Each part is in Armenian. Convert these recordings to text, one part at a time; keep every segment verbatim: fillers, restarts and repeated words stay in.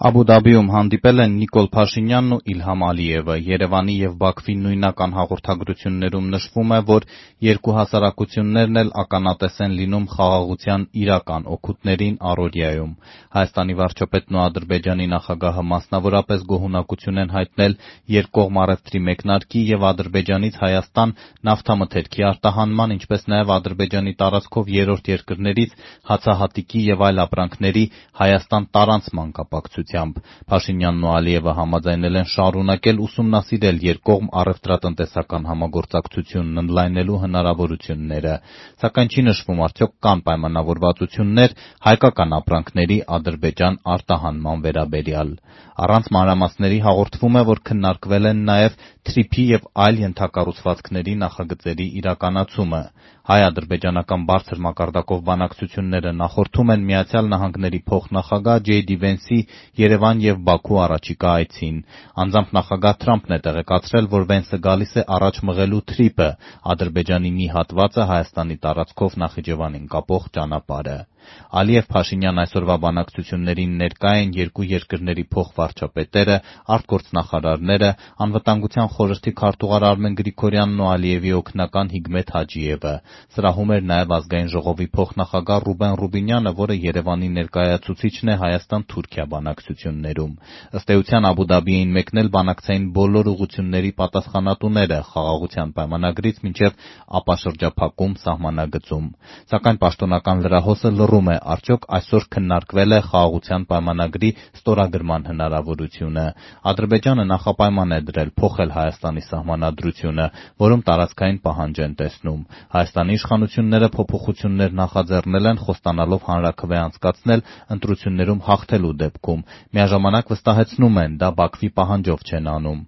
Աբու Դաբիում հանդիպել են Նիկոլ Փաշինյանն ու Իլհամ Ալիևը։ Երևանի և Բաքվի նույնական հաղորդագրություններում նշվում է, որ երկու հասարակություններն էլ ականատես են լինում խաղաղության իրական օգուտներին առօրյայում։ Հայաստանի վարչապետն ու Ադրբեջանի նախագահը մասնավորապես գոհունակություն են հայտնել երկկողմ առևտրի մեկնարկի և Ադրբեջանից Հայաստան նավթամթերքի արտահանման, ինչպես նաև Ադրբեջանի տարածքով երրորդ երկրներից հացահատիկի և այլ ապրանքների Հայաստան տարանցման կապակցությամբ։ Փաշինյանն ու Ալիևը համաձայնել են շարունակել ուսումնասիրել երկկողմ առևտրատնտեսական համագործակցությունն ընդլայնելու հնարավորությունները, սակայն չի նշվում արդյոք կան պայմանավորվածություններ հայկական ապրանքների Ադրբեջան արտահանման վերաբերյալ։ Առանց մանրամասների հաղորդվում է, որ քննարկվել են նաև թրիփի և այլ ենթակառուցվածքների նախագծերի իրականացումը։ Հայ-ադրբեջանական բարձր մակարդակով բանակցությունները նախորդում են Միացյալ Նահանգների փոխնախագահ Ջեյ Դի Վենսի Երևան և Բաքու առաջիկա այցին։ Անձամբ նախագահ Թրամփն է տեղեկացրել, որ Վենսը գալիս է առաջ մղելու թրիփը՝ Ադրբեջանի մի հատվածը Հայաստանի տարածքով Նախիջևանին կապող ճանապարհը։ Ալիև-Փաշինյան այսօրվա բանակցություններին ներկա են երկու երկրների փոխվարչապետերը, արտգործնախարարները, Անվտանգության խորհրդի քարտուղար Արմեն Գրիգորյանն ու Ալիևի օգնական Հիկմեթ Հաջիևը։ Սրահում էր նաև Ազգային ժողովի փոխնախագահ Ռուբեն Ռուբինյանը, որը Երևանի ներկայացուցիչն է Հայաստան-Թուրքիա բանակցություններում։ Ըստ էության Աբու Դաբի էին մեկնել բանակցային բոլոր ուղղությունների պատասխանատուները խաղաղության պայմանագրից մինչև ապաշրջափակում սահմանագծում։ Սակայն պաշտոնական լրահոսը լռում է, արդյոք այսօր քննարկվել է խաղաղության պայմանագրի ստորագրման հնարավորությունը։ Ադրբեջանը նախապայման է դրել փոխել Հայաստանի սահմանադրությունը, որում տարածքային պահանջ են տեսնում։ Հայաստանի իշխանությունները փոփոխություններ նախաձեռնել են, խոստանալով հանրաքվե անցկացնել ընտրություններում հաղթելու դեպքում։ Միաժամանակ վստահեցնում են՝ դա Բաքվի պահանջով չեն անում։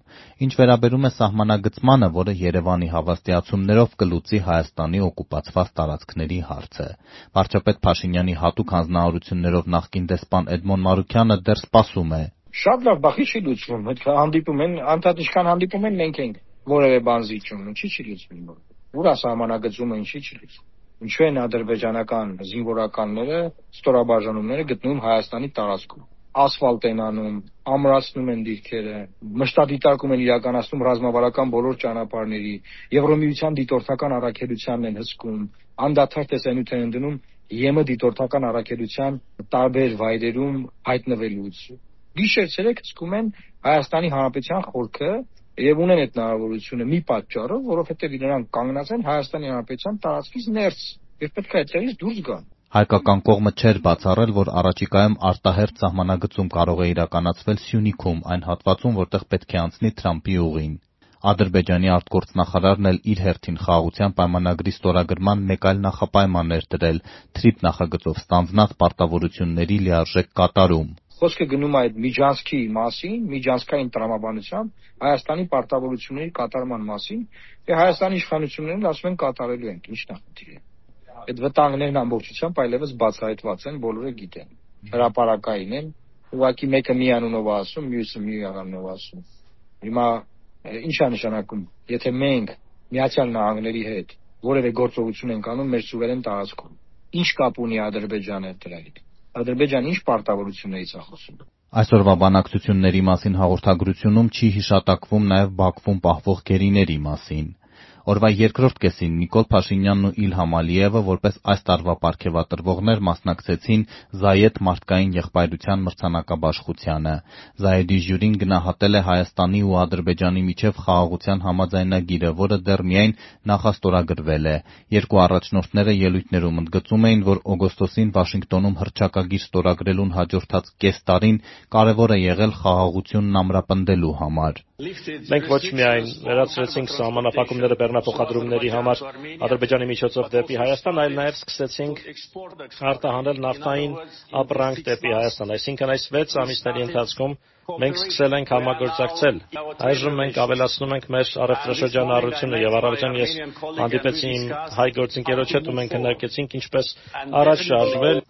Ինչ վերաբերում է սահմանագծմանը, որը Երևանի հավաստիացումներով կլուծի Հայաստանի օկուպացված տարածքների հարցը։ Վարչապետ Փաշինյանի հատուկ հանձնարարություններով նախկին դեսպան Էդմոն Մանուկյանը դեռ սպասում է։ Շատ լավ, բախի չի լուծվում։ Հետ հանդիպում են, անդադ ինչքան հանդիպում են, մենք ենք որևէ բան զիջում, ինչի չի լուծվում։ Ուր է սահմանագծումը, ինչի չի լուծվում։ Ինչու են ադրբեջանական զինվորականները, ստորաբաժանումները գտնվում Հայաստանի տարածքում։ Ասֆալտ են անում, ամրացնում են դիրքերը, մշտադիտարկում են իրականացնում ռազմավարական բոլոր ճանապարհների, Եվրոմիության դիտորդական առաքելությանն են հսկում, անդադար տեսանյութ են դնում ԵՄ դիտորդական առաքելության տարբեր վայրերում հայտնվելուց։ Գիշեր-ցերեկ հսկում են Հայաստանի Հանրապետության խորքը եւ ունեն այդ հնարավորությունը մի պատճառով, որովհետեւ նրանք կանգնած են Հայաստանի Հանրապետության տարածքից ներս եւ պետք է այդտեղից դուրս գան։ Հայկական կողմը չէր բացառել, որ առաջիկայում արտահերթ սահմանագծում կարող է իրականացվել Սյունիքում, այն հատվածում, որտեղ պետք է անցնի Թրամփի ուղին։ Ադրբեջանի արտգործնախարարն էլ իր հերթին խաղաղության պայմանագրի ստորագրման մեկ այլ նախապայման էր դրել՝ թրիփ նախագծով ստանձնած պարտավորությունների լիարժեք կատարում։ Խոսքը գնում է այդ միջանցքի մասին, միջանցքային տրամաբանությամբ Հայաստանի պարտավորությունների կատարման մասին, եւ Հայաստանի իշխանություններն ասում են կատարելու ենք, ի՞նչն է խնդիրը։ Այդ վտանգներն ամբողջությամբ այլևս բացահայտված են, բոլորը գիտեն։ Հրապարակային են, ուղղակի մեկը մի անունով է ասում, մյուսը մի անունով ասում։ Հիմա ի՞նչ է նշանակում, եթե մենք Միացյալ Նահանգների հետ որևէ գործողություն ենք անում մեր սուվերեն տարածքում, ի՞նչ կապ ունի Ադրբեջանը դրա հետ։ Ադրբեջանը ի՞նչ պարտավորություններից է խոսում։ Այսօրվա բանակցությունների մասին հաղորդագրությունում չի հիշատակվում նաև Բաքվում պահվող գերիների մասին։ Օրվա երկրորդ կեսին Նիկոլ Փաշինյանն ու Իլհամ Ալիևը որպես այս տարվա պարգևատրվողներ մասնակցեցին Զայեդ մարդկային եղբայրության մրցանակաբաշխությանը։ Զայեդի ժյուրին գնահատել է Հայաստանի ու Ադրբեջանի միջև խաղաղության համաձայնագիրը, որը դեռ միայն նախաստորագրվել է։ Երկու առաջնորդները ելույթներում ընդգծում էին, որ օգոստոսին Վաշինգտոնում հռչակագիր ստորագրելուն հաջորդած կես տարին կարևոր է եղել խաղաղությունն ամրապնդելու համար։ Մենք ոչ միայն վերացրեցինք սահմանափակումները բեռնափոխադրումների համար Ադրբեջանի միջոցով դեպի Հայաստան, այլ նաև սկսեցինք արտահանել նավթային ապրանք դեպի Հայաստան, այսինքն այս վեց ամիսների ընթացքում մենք սկսել ենք համագործակցել։ Այժմ մենք ավելացնում ենք մեր առևտրաշրջանառությունը եւ առավոտյան ես հանդիպեցի իմ հայ գործընկերոջ հետ ու մենք քննարկեցինք ինչպես առաջ շարժվել։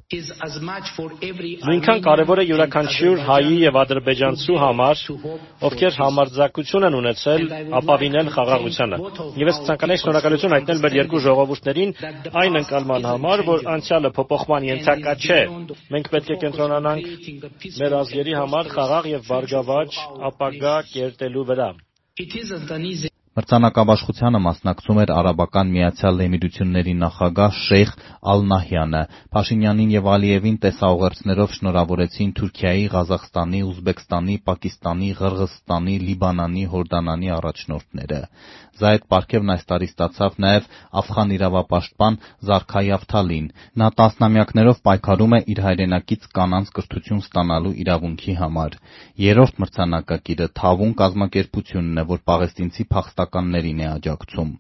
Նույնքան կարևոր է յուրաքանչյուր հայի եւ ադրբեջանցու համար, ովքեր համարձակ պարտադզակություն են ունեցել ապավինել խաղաղությանը։ Եվ ես ցանկանում եմ շնորհակալություն հայտնել մեր երկու ժողովուրդներին այն ընկալման համար, որ անցյալը փոփոխման ենթակա չէ։ Մենք պետք է կենտրոնանանք մեր ազգերի համար խաղաղ եւ բարգավաճ ապագա կերտելու վրա։ Մրցանակաբաշխությանը մասնակցում էր Արաբական Միացյալ Էմիրությունների նախագահ Շեյխ Ալ-Նահյանը։ Փաշինյանին եւ Ալիևին տեսաուղերձներով շնորհավորեցին Թուրքիայի, Ղազախստանի, Ուզբեկստանի, Պակիստանի, Ղրղըզստանի, Լիբանանի, Հորդանանի առաջնորդները։ Զայդ պարգևն այս տարի ստացավ նաեւ աֆղան իրավապաշտպան Զարքա Եվթալին։ Նա տասնամյակներով պայքարում է իր հայրենակից կանանց կրթություն ստանալու իրավունքի համար։ Երրորդ մրցանակակիրը Թավուն կազմակերպությունն է, որ պաղեստինցի փախստականներին է աջակցում։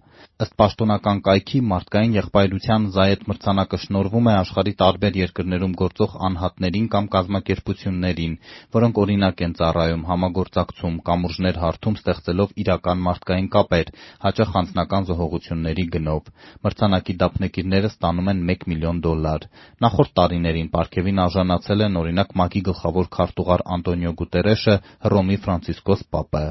Ըստ պաշտոնական կայքի, մարդկային եղբայրության Զայեդ մրցանակը շնորհվում է աշխարհի տարբեր երկրներում գործող անհատներին կամ կազմակերպություններին, որոնք օրինակ են ծառայում, համագործակցում, կամուրջներ հարթում, ստեղծելով իրական մարդկային կապեր, հաճախ անձնական զոհողությունների գնով։ Մրցանակի դափնեկիրները ստանում են մեկ միլիոն դոլար։ Նախորդ տարիներին պարգևին արժանացել են օրինակ ՄԱԿ-ի գլխավոր քարտուղար Անտոնիո Գուտերեշը, Հռոմի Ֆրանցիսկոս պապը։